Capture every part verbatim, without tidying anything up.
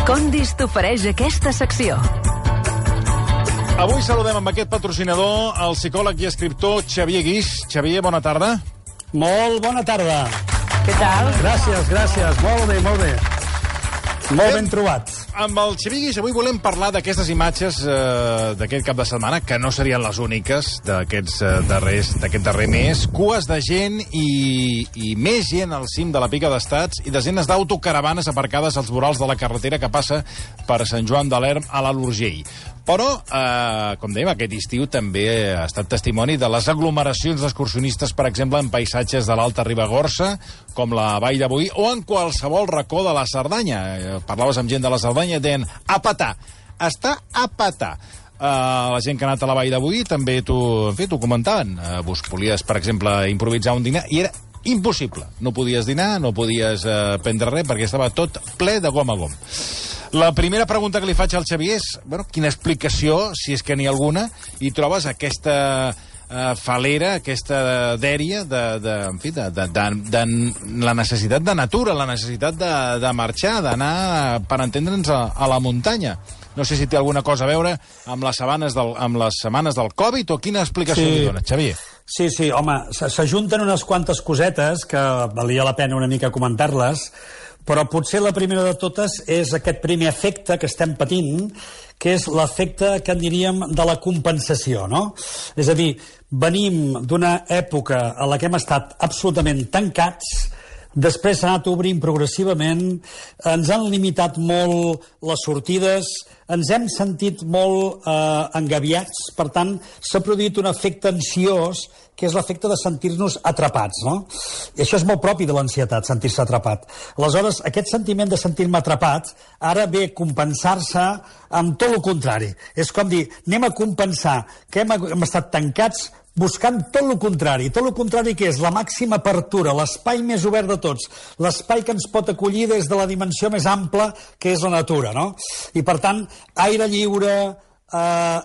Condis t'ofereix aquesta secció. Avui saludem amb aquest patrocinador el psicòleg i escriptor Xavier Guix. Xavier, bona tarda. Molt bona tarda. Què tal? Gràcies, gràcies. Molt bé, molt bé. Molt ben trobat. Amb el Xavier Guix avui volem parlar d'aquestes imatges eh, d'aquest cap de setmana, que no serien les úniques d'aquests eh, darrers, d'aquest darrer mes. Cues de gent i, i més gent al cim de la Pica d'Estats i desenes d'autocaravanes aparcades als vorals de la carretera que passa per Sant Joan de l'Erm a l'Alt Urgell. Però, eh, com dèiem, aquest estiu també ha estat testimoni de les aglomeracions d'excursionistes, per exemple, en paisatges de l'Alta Ribagorça, com la Vall de Boí, o en qualsevol racó de la Cerdanya. Eh, parlaves amb gent de la Cerdanya i deien a petar. Està a petar. Uh, la gent que ha anat a la Vall de Boí també t'ho, en fi, t'ho comentaven. Uh, vos volies, per exemple, improvisar un dinar i era impossible. No podies dinar, no podies uh, prendre res, perquè estava tot ple de gom a gom. La primera pregunta que li faig al Xavier és, bueno, quina explicació, si és que n'hi ha alguna, i trobes aquesta uh, falera, aquesta dèria de, de, en fi, de, de, de, de la necessitat de natura, la necessitat de, de marxar, d'anar, per entendre'ns, a, a la muntanya. No sé si té alguna cosa a veure amb les setmanes del, amb les setmanes del Covid o quina explicació Sí. li dona, Xavier? Sí, sí, home, s'ajunten unes quantes cosetes que valia la pena una mica comentar-les, però potser la primera de totes és aquest primer efecte que estem patint, que és l'efecte que en diríem de la compensació, no? És a dir, venim d'una època a la que hem estat absolutament tancats, després s'ha anat obrint progressivament, ens han limitat molt les sortides, ens hem sentit molt eh, engabiats, per tant, s'ha produït un efecte ansiós, que és l'efecte de sentir-nos atrapats, no? I això és molt propi de l'ansietat, sentir-se atrapat. Aleshores, aquest sentiment de sentir-me atrapat ara ve a compensar-se amb tot el contrari. És com dir, anem a compensar que hem, hem estat tancats buscant tot el contrari. Tot el contrari que és la màxima apertura, l'espai més obert de tots, l'espai que ens pot acollir des de la dimensió més ampla que és la natura, no? I per tant, aire lliure, eh,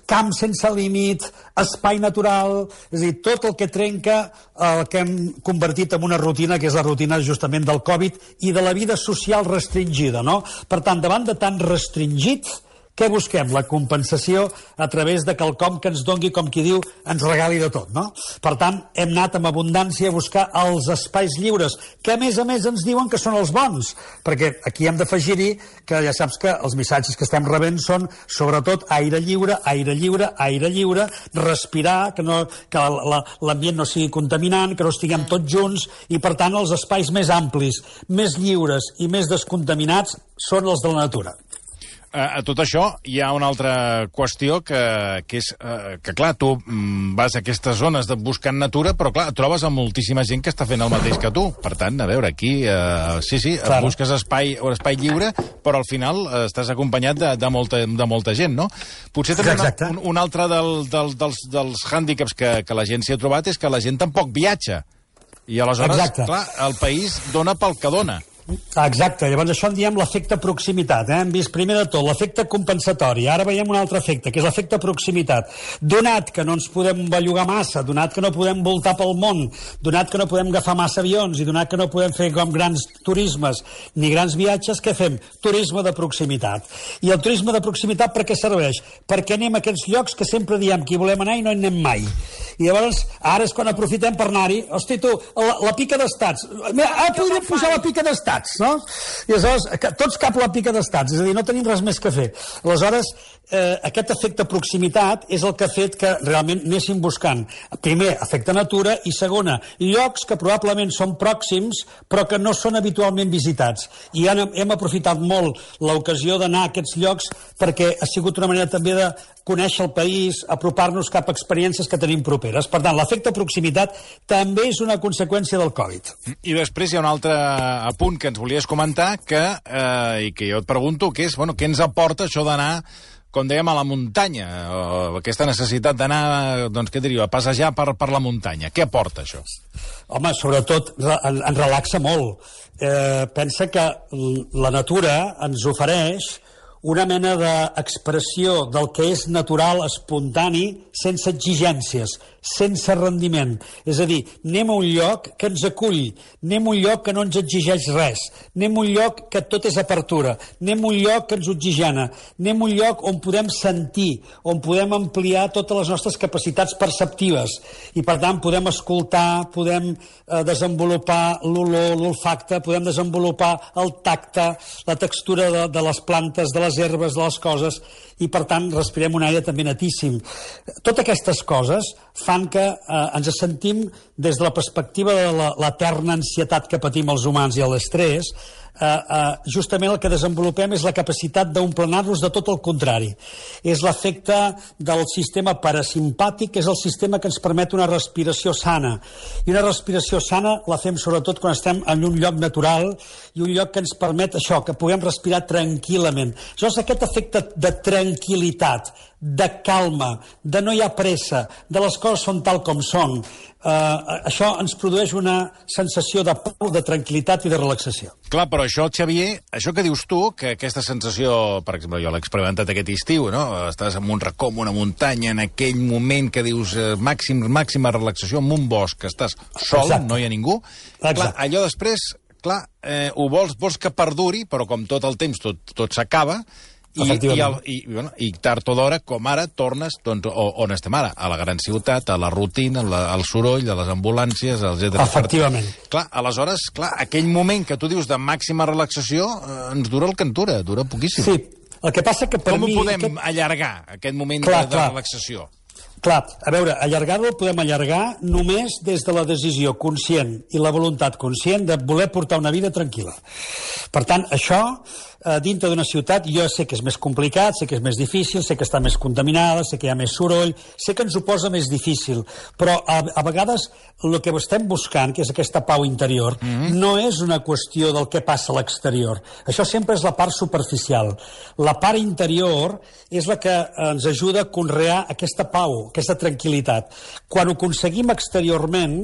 camp sense límit, espai natural, és a dir, tot el que trenca el que hem convertit en una rutina, que és la rutina justament del Covid i de la vida social restringida, no? Per tant, davant de tan restringit, què busquem? La compensació a través de quelcom que ens dongui, com qui diu, ens regali de tot, no? Per tant, hem anat amb abundància a buscar els espais lliures, que a més a més ens diuen que són els bons, perquè aquí hem d'afegir-hi que ja saps que els missatges que estem rebent són, sobretot, aire lliure, aire lliure, aire lliure, respirar, que, no, que l'ambient no sigui contaminant, que no estiguem tots junts, i per tant els espais més amplis, més lliures i més descontaminats són els de la natura. A tot això hi ha una altra qüestió que, que és eh, que, clar, tu mm, vas a aquestes zones de buscant natura, però, clar, trobes amb moltíssima gent que està fent el mateix que tu. Per tant, a veure, aquí, eh, sí, sí, Clar. busques espai, un espai lliure, però al final eh, estàs acompanyat de, de, molta, de molta gent, no? Potser també una, un, un altre del, del, dels, dels hàndicaps que, que la gent s'hi ha trobat és que la gent tampoc viatja. I aleshores, Exacte. clar, el país dona pel que dona. Exacte, llavors això en diem l'efecte proximitat, eh? Hem vist primer de tot l'efecte compensatori, ara veiem un altre efecte, que és l'efecte proximitat. Donat que no ens podem bellugar massa, donat que no podem voltar pel món, donat que no podem agafar massa avions i donat que no podem fer com grans turismes ni grans viatges, què fem? Turisme de proximitat. I el turisme de proximitat per què serveix? Perquè anem a aquests llocs que sempre diem que hi volem anar i no hi anem mai. I llavors, ara és quan aprofitem per anar-hi. Hosti, tu, la, la Pica d'Estats. Ara podríem pujar a la Pica d'Estats, no? I aleshores, tots cap a la Pica d'Estats, és a dir, no tenim res més que fer. Aleshores, eh, aquest efecte proximitat és el que ha fet que realment anéssim buscant, primer, efecte natura, i segona, llocs que probablement són pròxims, però que no són habitualment visitats. I hem, hem aprofitat molt l'ocasió d'anar a aquests llocs perquè ha sigut una manera també de conèixer el país, apropar-nos cap a experiències que tenim properes. Per tant, l'efecte proximitat també és una conseqüència del Covid. I després hi ha un altre apunt que ens volies comentar que, eh, i que jo et pregunto, que és, bueno, què ens aporta això d'anar, com dèiem, a la muntanya, o aquesta necessitat d'anar, doncs, què diria, a passejar per, per la muntanya. Què aporta això? Home, sobretot en, en relaxa molt. Eh, pensa que la natura ens ofereix una mena d'expressió del que és natural, espontani, sense exigències, sense rendiment. És a dir, anem a un lloc que ens acull, anem a un lloc que no ens exigeix res, anem a un lloc que tot és apertura, anem a un lloc que ens oxigena, anem a un lloc on podem sentir, on podem ampliar totes les nostres capacitats perceptives i, per tant, podem escoltar, podem eh, desenvolupar l'olor, l'olfacte, podem desenvolupar el tacte, la textura de, de les plantes, de les herbes, de les coses, i, per tant, respirem un aire també netíssim. Totes aquestes coses fan que eh, ens sentim, des de la perspectiva de l'eterna ansietat que patim els humans i l'estrès, eh, eh, justament el que desenvolupem és la capacitat d'omplenar-nos de tot el contrari. És l'efecte del sistema parasimpàtic, que és el sistema que ens permet una respiració sana. I una respiració sana la fem sobretot quan estem en un lloc natural i un lloc que ens permet això, que puguem respirar tranquil·lament. Llavors, aquest efecte de tranquil·litat, de calma, de no hi ha pressa, de les coses són tal com són, eh, això ens produeix una sensació de pau, de tranquil·litat i de relaxació. Clar, però això, Xavier, això que dius tu, que aquesta sensació, per exemple, jo l'he experimentat aquest estiu, no? Estàs en un racó, en una muntanya, en aquell moment que dius eh, màxim, màxima relaxació, en un bosc, que estàs sol, exacte, no hi ha ningú. Exacte. Clar, allò després, clar, eh, ho vols, vols que perduri, però com tot el temps tot, tot s'acaba, I, i, el, i, bueno, i tard o d'hora, com ara, tornes doncs, on estem ara, a la gran ciutat, a la rutina, la, al soroll, a les ambulàncies, etcètera. Efectivament. Clar, aleshores, clar, aquell moment que tu dius de màxima relaxació eh, ens dura el que en dura, dura poquíssim. Sí, el que passa que per Com mi... ho podem aquest... allargar, aquest moment clar, de, de clar. relaxació? Clar, a veure, allargar-lo el podem allargar només des de la decisió conscient i la voluntat conscient de voler portar una vida tranquil·la. Per tant, això, eh, dintre d'una ciutat, jo sé que és més complicat, sé que és més difícil, sé que està més contaminada, sé que hi ha més soroll, sé que ens ho posa més difícil, però a, a vegades el que estem buscant, que és aquesta pau interior, mm-hmm. no és una qüestió del que passa a l'exterior. Això sempre és la part superficial. La part interior és la que ens ajuda a conrear aquesta pau, aquesta tranquil·litat. Quan ho aconseguim exteriorment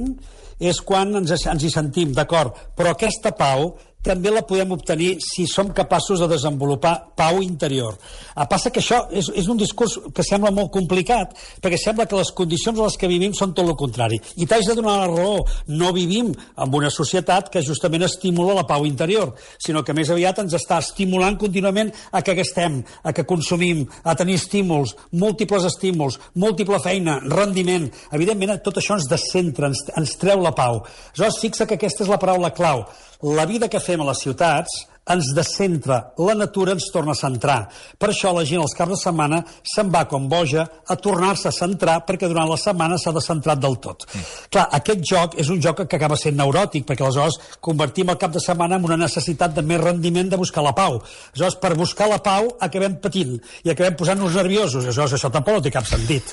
és quan ens, ens hi sentim, d'acord, però aquesta pau també la podem obtenir si som capaços de desenvolupar pau interior. A passa que això és, és un discurs que sembla molt complicat, perquè sembla que les condicions en les que vivim són tot el contrari. I t'haig de donar la raó. No vivim en una societat que justament estimula la pau interior, sinó que més aviat ens està estimulant contínuament a que gastem, a que consumim, a tenir estímuls, múltiples estímuls, múltiple feina, rendiment. Evidentment, tot això ens descentra, ens, ens treu la pau. Aleshores, fixa que aquesta és la paraula clau. La vida que fem a les ciutats ens descentra, la natura ens torna a centrar. Per això la gent als caps de setmana se'n va com boja a tornar-se a centrar, perquè durant la setmana s'ha descentrat del tot. Mm. Clar, aquest joc és un joc que acaba sent neuròtic, perquè aleshores convertim el cap de setmana en una necessitat de més rendiment de buscar la pau. Aleshores, per buscar la pau acabem patint i acabem posant-nos nerviosos. Aleshores, això tampoc no té cap sentit.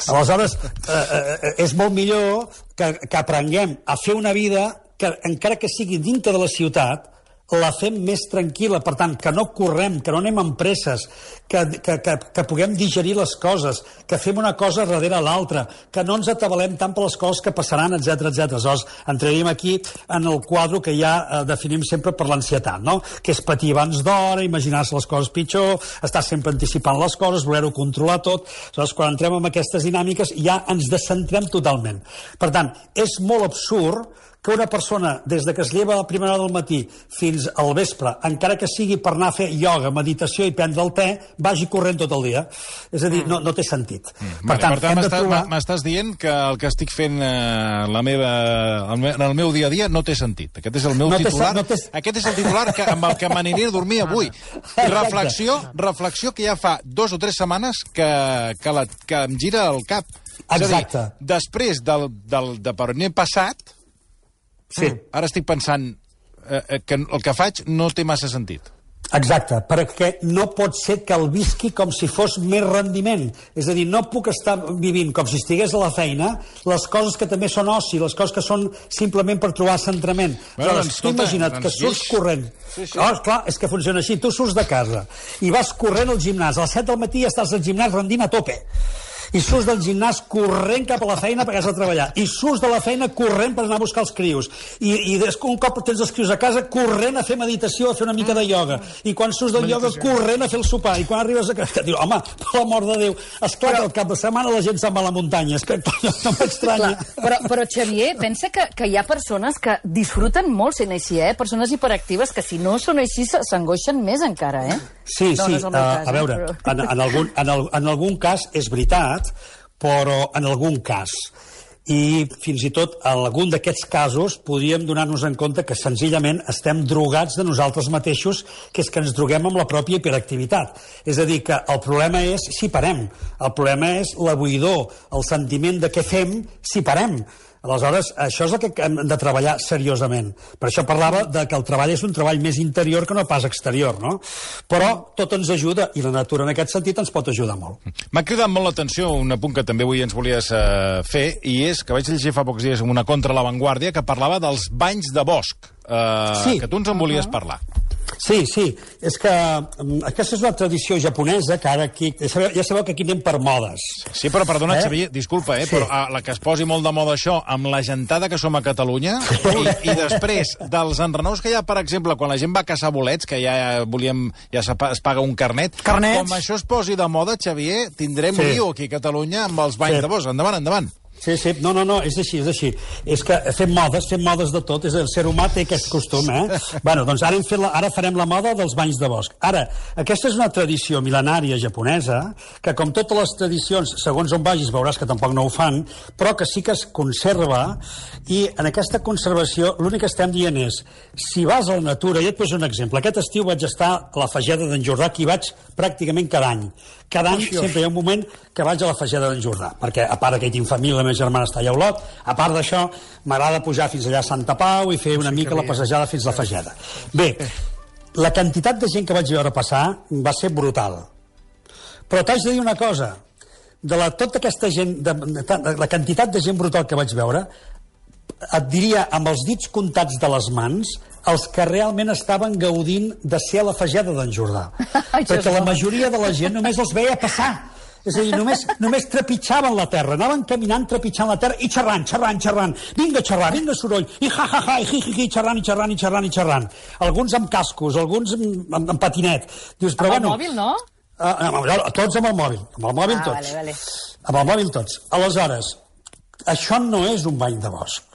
Aleshores, eh, eh, és molt millor que, que aprenguem a fer una vida que, encara que sigui dintre de la ciutat, la fem més tranquil·la, per tant, que no correm, que no anem amb presses, que, que, que, que puguem digerir les coses, que fem una cosa darrere l'altra, que no ens atabalem tant per les coses que passaran, etcètera, etcètera. Aleshores, entraríem aquí en el quadre que ja eh, definim sempre per l'ansietat, no? Que és patir abans d'hora, imaginar-se les coses pitjor, estar sempre anticipant les coses, voler-ho controlar tot. Aleshores, quan entrem en aquestes dinàmiques, ja ens descentrem totalment. Per tant, és molt absurd que una persona, des de que es lleva a la primera hora del matí fins al vespre, encara que sigui per anar a fer ioga, meditació i prendre el te, vagi corrent tot el dia. És a dir, no, no té sentit. Mm. Per tant, tant m'estàs trobar... dient que el que estic fent eh, la meva, el me, en el meu dia a dia no té sentit. Aquest és el meu no titular. No té... Aquest és el titular que, amb el que m'aniré a dormir avui. I reflexió, reflexió que ja fa dos o tres setmanes que, que, la, que em gira el cap. Exacte. És a dir, després del, del, de per on he passat, sí. Ara estic pensant eh, que el que faig no té massa sentit. Exacte, perquè no pot ser que el visqui com si fos més rendiment. És a dir, no puc estar vivint com si estigués a la feina les coses que també són oci, les coses que són simplement per trobar centrament. Bueno, Aleshores, doncs, tu imagina't doncs, que surts guix. corrent. Sí, sí. Oh, clar, és que funciona així. Tu surts de casa i vas corrent al gimnàs. A les set del matí ja estàs al gimnàs rendint a tope. I surts del gimnàs corrent cap a la feina perquè has de treballar. I surts de la feina corrent per anar a buscar els crios. I, i un cop tens els crios a casa, corrent a fer meditació, a fer una mica de ioga. I quan surts del ioga, corrent a fer el sopar. I quan arribes a casa, dius, home, per l'amor de Déu, esclar que al cap de setmana la gent se'n va a la muntanya. És que no, no m'estranya. Però, però, Xavier, pensa que, que hi ha persones que disfruten molt sent així, eh? Persones hiperactives que si no són així s'angoixen més encara, eh? Sí, no, sí, no és el uh, meu cas, a veure, eh, però... en, en, algun, en, el, en algun cas és veritat, però en algun cas. I fins i tot en algun d'aquests casos podríem donar-nos en compte que senzillament estem drogats de nosaltres mateixos, que és que ens droguem amb la pròpia hiperactivitat. És a dir, que el problema és si parem, el problema és la buidor, el sentiment de què fem si parem. Aleshores, això és el que hem de treballar seriosament. Per això parlava de que el treball és un treball més interior que no pas exterior, no? Però tot ens ajuda, i la natura en aquest sentit ens pot ajudar molt. M'ha cridat molt l'atenció un apunt que també avui ens volies uh, fer, i és que vaig llegir fa pocs dies una contra l'avantguàrdia que parlava dels banys de bosc, uh, sí. que tu ens en volies parlar. Sí, sí, és que um, aquesta és una tradició japonesa que ara aquí, ja sabeu, ja sabeu que aquí anem per modes. Sí, però perdona, eh? Xavier, disculpa, eh, sí. però uh, la que es posi molt de moda això, amb la gentada que som a Catalunya, i, i després dels enrenous que hi ha, per exemple, quan la gent va a caçar bolets, que ja volíem, ja es paga un carnet, Carnets. Com això es posi de moda, Xavier, tindrem sí. lío aquí a Catalunya amb els banys sí. de bosc. Endavant, endavant. Sí, sí, no, no, no, és així, és així. És que fem modes, fem modes de tot, és el ser humà té aquest costum, eh? Bueno, doncs ara, hem fet la, ara farem la moda dels banys de bosc. Ara, aquesta és una tradició mil·lenària japonesa, que com totes les tradicions, segons on vagis veuràs que tampoc no ho fan, però que sí que es conserva, i en aquesta conservació l'únic que estem dient és, si vas a la natura, i et poso un exemple, aquest estiu vaig estar a la Fageda d'en Jordà, que hi vaig pràcticament cada any. Cada any sempre hi ha un moment que vaig a la Fageda d'en Jordà, perquè a part que hi tinc família, la meva germana està allà a Olot, a part d'això m'agrada pujar fins allà a Santa Pau i fer una mica la passejada fins a la Fageda. Bé, la quantitat de gent que vaig veure passar va ser brutal. Però t'haig de dir una cosa, de la, tota aquesta gent, de, de, de la quantitat de gent brutal que vaig veure, et diria amb els dits comptats de les mans els que realment estaven gaudint de ser a la Fageda d'en Jordà. Perquè la majoria de la gent només els veia passar. És a dir, només, només trepitjaven la terra, anaven caminant trepitjant la terra i xerrant, xerrant, xerrant. Vinga a xerrar, vinga soroll, i ja, ja, ja, i hi, hi, hi, xerrant, i xerrant, i xerrant, i xerrant. Alguns amb cascos, alguns amb, amb, amb patinet. Dius, però, amb bueno, el mòbil, no? Uh, amb, tots amb el mòbil, amb el mòbil ah, tots. Vale, vale. Amb el mòbil tots. Aleshores, això no és un bany de bosc.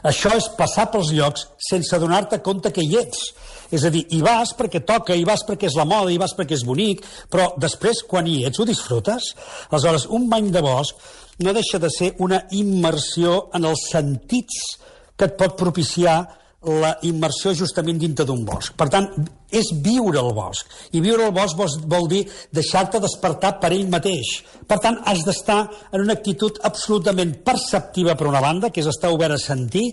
Això és passar pels llocs sense donar-te compte que hi ets. És a dir, hi vas perquè toca, hi vas perquè és la moda, hi vas perquè és bonic, però després, quan hi ets, ho disfrutes? Aleshores, un bany de bosc no deixa de ser una immersió en els sentits que et pot propiciar la immersió justament dintre d'un bosc. Per tant, és viure el bosc. I viure el bosc vol, vol dir deixar-te despertar per ell mateix. Per tant, has d'estar en una actitud absolutament perceptiva per una banda, que és estar obert a sentir,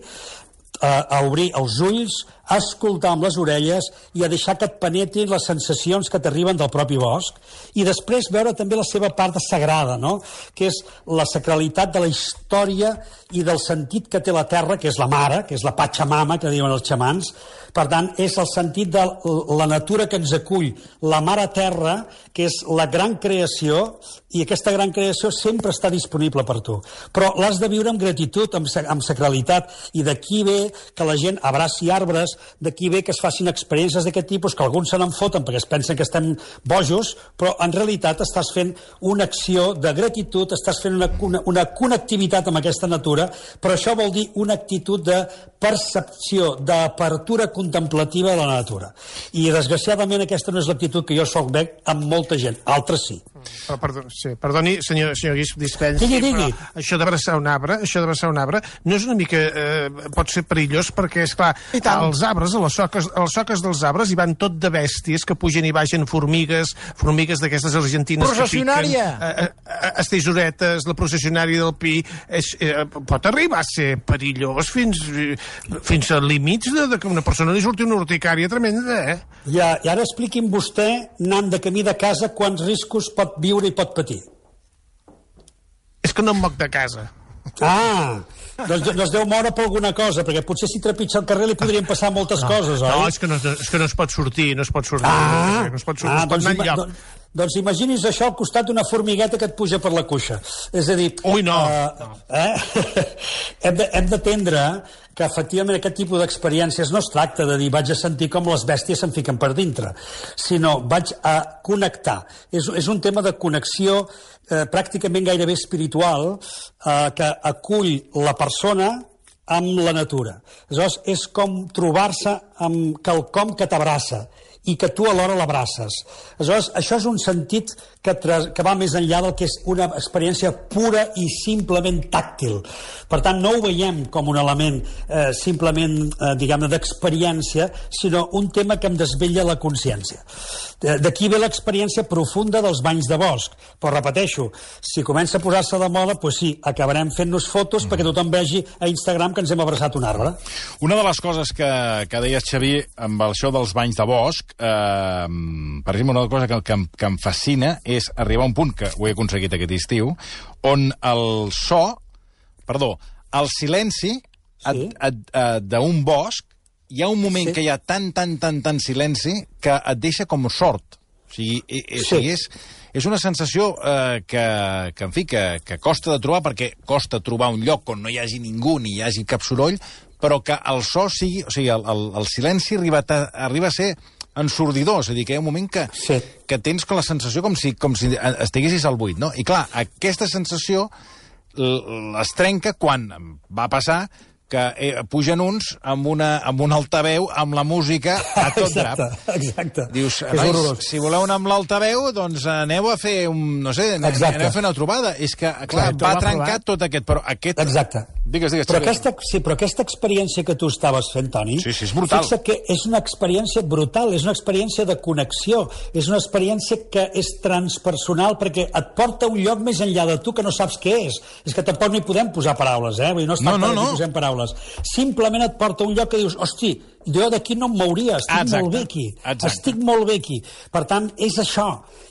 a, a obrir els ulls, a escoltar amb les orelles i a deixar que et penetrin les sensacions que t'arriben del propi bosc, i després veure també la seva part sagrada, no? Que és la sacralitat de la història i del sentit que té la terra, que és la mare, que és la Pachamama, que diuen els xamans. Per tant, és el sentit de la natura que ens acull, la mare terra, que és la gran creació, i aquesta gran creació sempre està disponible per tu. Però l'has de viure amb gratitud, amb, amb sacralitat, i d'aquí ve que la gent abraci arbres, d'aquí ve que es facin experiències d'aquest tipus, que alguns se n'en foten perquè es pensen que estem bojos, però en realitat estàs fent una acció de gratitud, estàs fent una, una, una connectivitat amb aquesta natura, però això vol dir una actitud de percepció, d'apertura contemplativa de la natura. I desgraciadament aquesta no és l'actitud que jo sol veig amb molta gent, altres sí. Però, perdó, sí, perdoni, senyor, senyor Guix, dispensi, digui, digui. Però això d'abraçar un arbre, això d'abraçar un arbre, no és una mica, eh, pot ser perillós, perquè, esclar, als arbres, a les soques, a les soques dels arbres hi van tot de bèsties que pugen i baixen, formigues, formigues d'aquestes argentines processionària. que piquen, eh, eh, estesoretes, la processionària del pi, és, eh, pot arribar a ser perillós fins, fins a límits de, de que una persona li surti una urticària tremenda, eh? Ja, I ara expliqui'm vostè, anant de camí de casa, quants riscos pot viure i pot patir. És que no em moc de casa. Ah, doncs no es deu moure per alguna cosa, perquè potser si trepitja el carrer li podrien passar moltes no, coses, oi? No, és que no, és que no es pot sortir, no es pot sortir. Ah, no es pot sortir, ah, no es pot doncs, anar enlloc. doncs, Doncs imagini's això al costat d'una formigueta que et puja per la cuixa. És a dir... Ui, no! Uh, eh? hem de, hem d'atendre que efectivament aquest tipus d'experiències no es tracta de dir vaig a sentir com les bèsties se'n fiquen per dintre, sinó vaig a connectar. És, és un tema de connexió eh, pràcticament gairebé espiritual eh, que acull la persona amb la natura. Aleshores, és com trobar-se amb quelcom que t'abraça i que tu alhora l'abraces. Aleshores, això és un sentit que, que va més enllà del que és una experiència pura i simplement tàctil. Per tant, no ho veiem com un element eh, simplement, eh, diguem-ne, d'experiència, sinó un tema que em desvetlla la consciència. D'aquí ve l'experiència profunda dels banys de bosc. Però repeteixo, si comença a posar-se de moda, doncs sí, acabarem fent-nos fotos mm. perquè tothom vegi a Instagram que ens hem abraçat un arbre. Una de les coses que, que deies, Xavier, amb això dels banys de bosc, eh, per exemple, una cosa que, que, que em fascina és arribar a un punt, que ho he aconseguit aquest estiu, on el so, perdó, el silenci sí. d'un bosc, hi ha un moment sí. que hi ha tan, tan, tan, tan silenci que et deixa com sord. O sigui, i, i, sí. o sigui és, és una sensació eh, que, que, en fi, que, que costa de trobar, perquè costa trobar un lloc on no hi hagi ningú ni hi hagi cap soroll, però que el so sigui... O sigui, el, el, el silenci arriba a, arriba a ser ensordidor, és a dir, que hi ha un moment que, sí. que tens com la sensació com si, com si estiguessis al buit, no? I clar, aquesta sensació es trenca quan va passar que eh, pugen uns amb, una, amb un altaveu, amb la música a tot drap. Exacte, exacte. Dius, nois, si voleu anar amb l'altaveu, doncs aneu a fer un, no sé, aneu exacte. a fer una trobada. És que, clar, clar va trencar tot aquest, però aquest... Exacte. Digues, digues. Però aquesta, sí, però aquesta experiència que tu estaves fent, Toni, sí, sí, és brutal. Fixa que és una experiència brutal, és una experiència de connexió, és una experiència que és transpersonal perquè et porta a un lloc més enllà de tu que no saps què és. És que tampoc no hi podem posar paraules, eh? Vull dir, no es tracta no, no, no. de que posem paraules. Simplement et porta a un lloc que dius, hosti, jo d'aquí no em mouria, estic Exacte. molt bé aquí. Exacte. Estic molt bé aquí. Per tant, és això.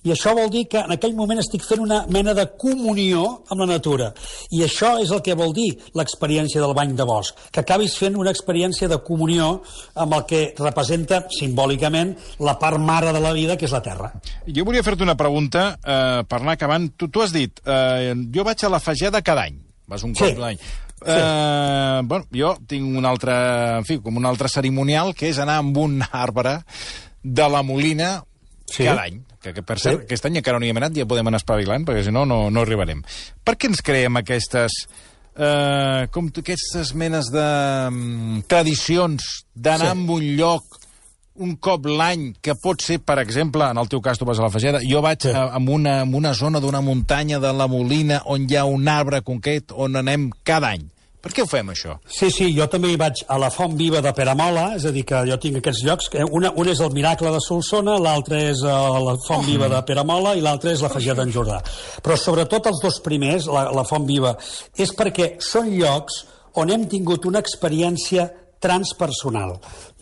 I això vol dir que en aquell moment estic fent una mena de comunió amb la natura. I això és el que vol dir l'experiència del bany de bosc, que acabis fent una experiència de comunió amb el que representa simbòlicament la part mare de la vida, que és la terra. Jo volia fer-te una pregunta eh, per anar acabant. Tu, tu has dit, eh, jo vaig a la Fageda cada any. Vas un cop sí. l'any. Sí. Uh, bueno, jo tinc un altre, en fi, com un altre cerimonial, que és anar amb un arbre de la Molina sí. cada any. Que, que per cert, sí. aquest any encara no hi hem anat, ja podem anar espavilant, perquè si no, no, no arribarem. Per què ens creem aquestes, uh, com aquestes menes de um, tradicions d'anar sí. a un lloc un cop l'any, que pot ser, per exemple, en el teu cas tu vas a la Fageda, jo vaig sí. a, a, una, a una zona d'una muntanya de la Molina on hi ha un arbre concret on anem cada any. Per què ho fem, això? Sí, sí, jo també hi vaig a la Font Viva de Peramola, és a dir, que jo tinc aquests llocs, una, un és el Miracle de Solsona, l'altre és la Font Viva de Peramola i l'altre és la Fageda d'en Jordà. Però sobretot els dos primers, la, la Font Viva, és perquè són llocs on hem tingut una experiència transpersonal.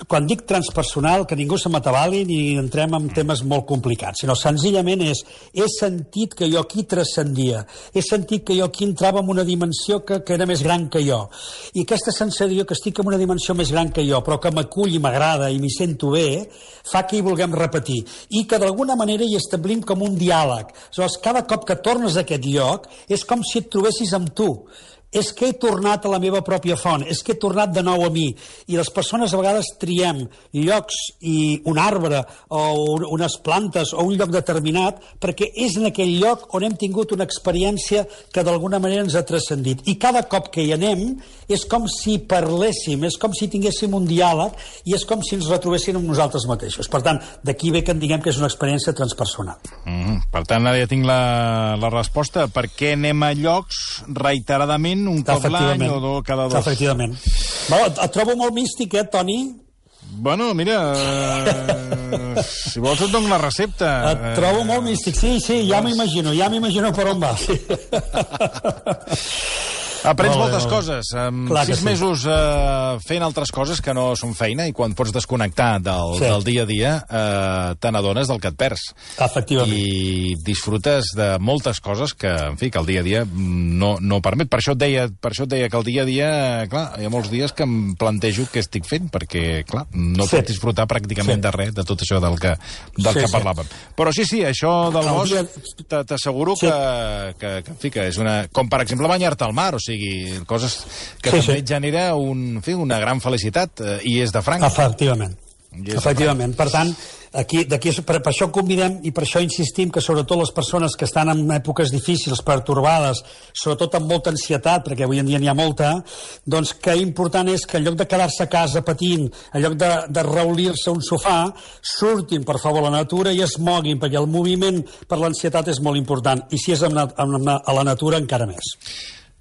Quan dic transpersonal, que ningú se m'atabali ni entrem en temes molt complicats, sinó senzillament és, he sentit que jo aquí transcendia, he sentit que jo aquí entrava en una dimensió que, que era més gran que jo, i aquesta sensació que estic en una dimensió més gran que jo, però que m'acull i m'agrada i m'hi sento bé, fa que hi vulguem repetir, i que d'alguna manera hi establim com un diàleg. Aleshores, cada cop que tornes a aquest lloc, és com si et trobessis amb tu. És que he tornat a la meva pròpia font, és que he tornat de nou a mi. I les persones a vegades triem llocs i un arbre o unes plantes o un lloc determinat perquè és en aquell lloc on hem tingut una experiència que d'alguna manera ens ha transcendit. I cada cop que hi anem és com si parléssim, és com si tinguéssim un diàleg i és com si ens retrobéssim amb nosaltres mateixos. Per tant, d'aquí ve que en diguem que és una experiència transpersonal. Mm, per tant, ara ja tinc la, la resposta. Per què anem a llocs reiteradament un cop l'any o do, cada dos? Efectivament. Bueno, et trobo molt místic, eh, Toni? Bueno, mira, eh, si vols et dono la recepta. Et trobo molt místic, sí, sí, ja m'imagino, ja m'imagino per on va. Sí. Aprens Molt bé, moltes molt bé. coses. Amb Clar que sis sí. mesos eh, fent altres coses que no són feina i quan pots desconnectar del, Sí. del dia a dia eh, te n'adones del que et perds. Efectivament. I disfrutes de moltes coses que, en fi, que el dia a dia no, no permet. Per això et deia, per això et deia que el dia a dia, clar, hi ha molts dies que em plantejo què estic fent, perquè, clar, no Sí. pots disfrutar pràcticament Sí. de res, de tot això del que, del Sí, que sí. parlàvem. Però sí, sí, això del El bosc, dia- t- t'asseguro Sí. que, que, que, en fi, que és una... Com, per exemple, banyar-te al mar, o sigui, coses que Sí, també sí. et genera un, en fi, una gran felicitat, eh, i és de franc. Efectivament. I és Efectivament. Per tant, aquí, d'aquí, per, per això convidem i per això insistim que sobretot les persones que estan en èpoques difícils, pertorbades, sobretot amb molta ansietat, perquè avui en dia n'hi ha molta, doncs que important és que en lloc de quedar-se a casa patint, en lloc de, de reulir-se a un sofà, surtin, per favor, a la natura i es moguin, perquè el moviment per l'ansietat és molt important. I si és amb, amb, a la natura, encara més.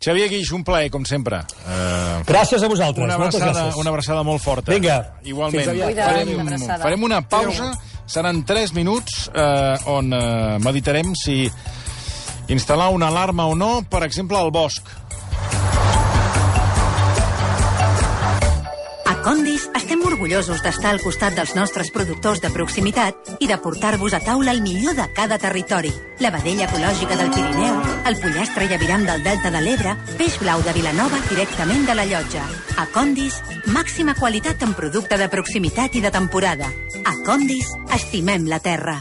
Xavier Guix, un plaer, com sempre. Uh, Gràcies a vosaltres. una, Moltes abraçada, gràcies. una abraçada molt forta. Vinga, Igualment. fins aviat. Cuida't, Farem, una abraçada. farem una pausa. Seran tres minuts eh, on eh, meditarem si instal·lar una alarma o no, per exemple, al bosc. A Condis estem orgullosos d'estar al costat dels nostres productors de proximitat i de portar-vos a taula el millor de cada territori. La vedella ecològica del Pirineu, el pollastre i aviram del Delta de l'Ebre, peix blau de Vilanova directament de la llotja. A Condis, màxima qualitat en producte de proximitat i de temporada. A Condis, estimem la terra.